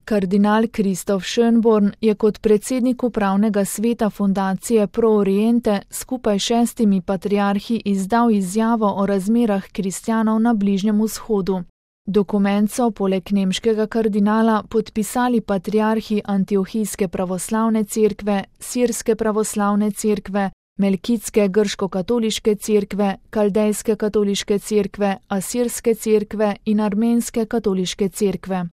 Kardinal Kristof Schönborn je kot predsednik upravnega sveta fundacije Pro Oriente skupaj 6 patriarhi izdal izjavo o razmerah kristjanov na Bližnjem vzhodu. Dokument so poleg nemškega kardinala podpisali patriarhi Antiohijske pravoslavne cerkve, Sirske pravoslavne cerkve, Melkitske grško-katoliške cerkve, Kaldejske katoliške cerkve, Asirske cerkve in Armenske katoliške cerkve.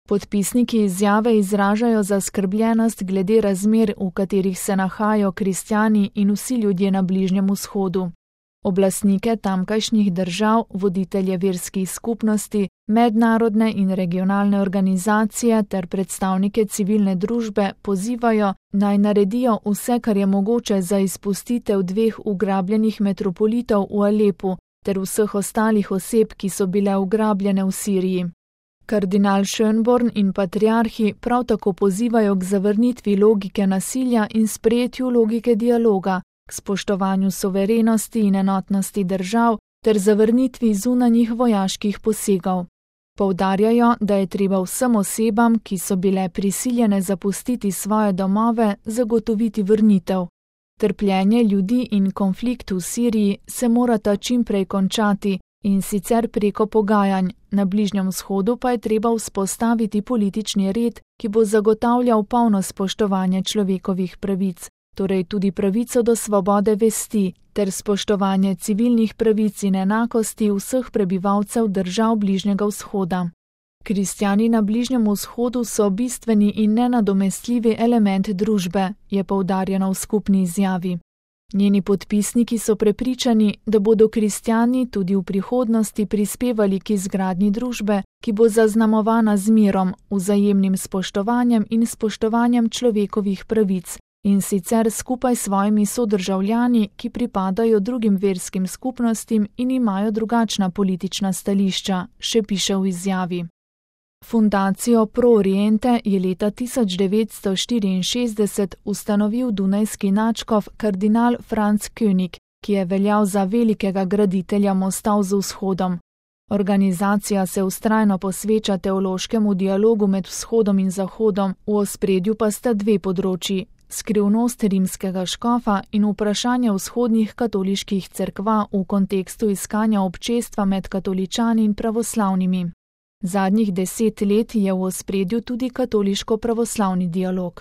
Podpisniki izjave izražajo zaskrbljenost glede razmer, v katerih se nahajajo kristjani in vsi ljudje na Bližnjem vzhodu. Oblastnike tamkajšnjih držav, voditelje verskih skupnosti, mednarodne in regionalne organizacije ter predstavnike civilne družbe pozivajo, naj naredijo vse, kar je mogoče za izpustitev 2 ugrabljenih metropolitov v Alepu ter vseh ostalih oseb, ki so bile ugrabljene v Siriji. Kardinal Schönborn in patriarhi prav tako pozivajo k zavrnitvi logike nasilja in sprejetju logike dialoga, k spoštovanju suverenosti in enotnosti držav ter zavrnitvi zunanjih vojaških posegov. Poudarjajo, da je treba vsem osebam, ki so bile prisiljene zapustiti svoje domove, zagotoviti vrnitev. Trpljenje ljudi in konflikt v Siriji se morata čimprej končati, in sicer preko pogajanj, na Bližnjem vzhodu pa je treba vzpostaviti politični red, ki bo zagotavljal polno spoštovanje človekovih pravic, torej tudi pravico do svobode vesti, ter spoštovanje civilnih pravic in enakosti vseh prebivalcev držav Bližnjega vzhoda. Kristjani na Bližnjem vzhodu so bistveni in nenadomestljivi element družbe, je poudarjeno v skupni izjavi. Njeni podpisniki so prepričani, da bodo kristjani tudi v prihodnosti prispevali k izgradnji družbe, ki bo zaznamovana z mirom, vzajemnim spoštovanjem in spoštovanjem človekovih pravic, in sicer skupaj s svojimi sodržavljani, ki pripadajo drugim verskim skupnostim in imajo drugačna politična stališča, še piše v izjavi. Fundacijo Pro Oriente je leta 1964 ustanovil dunajski nadškof kardinal Franz König, ki je veljal za velikega graditelja mostov z vzhodom. Organizacija se vztrajno posveča teološkemu dialogu med vzhodom in zahodom, v ospredju pa sta 2 področji: skrivnost rimskega škofa in vprašanje vzhodnih katoliških cerkva v kontekstu iskanja občestva med katoličani in pravoslavnimi. Zadnjih 10 let je v ospredju tudi katoliško-pravoslavni dialog.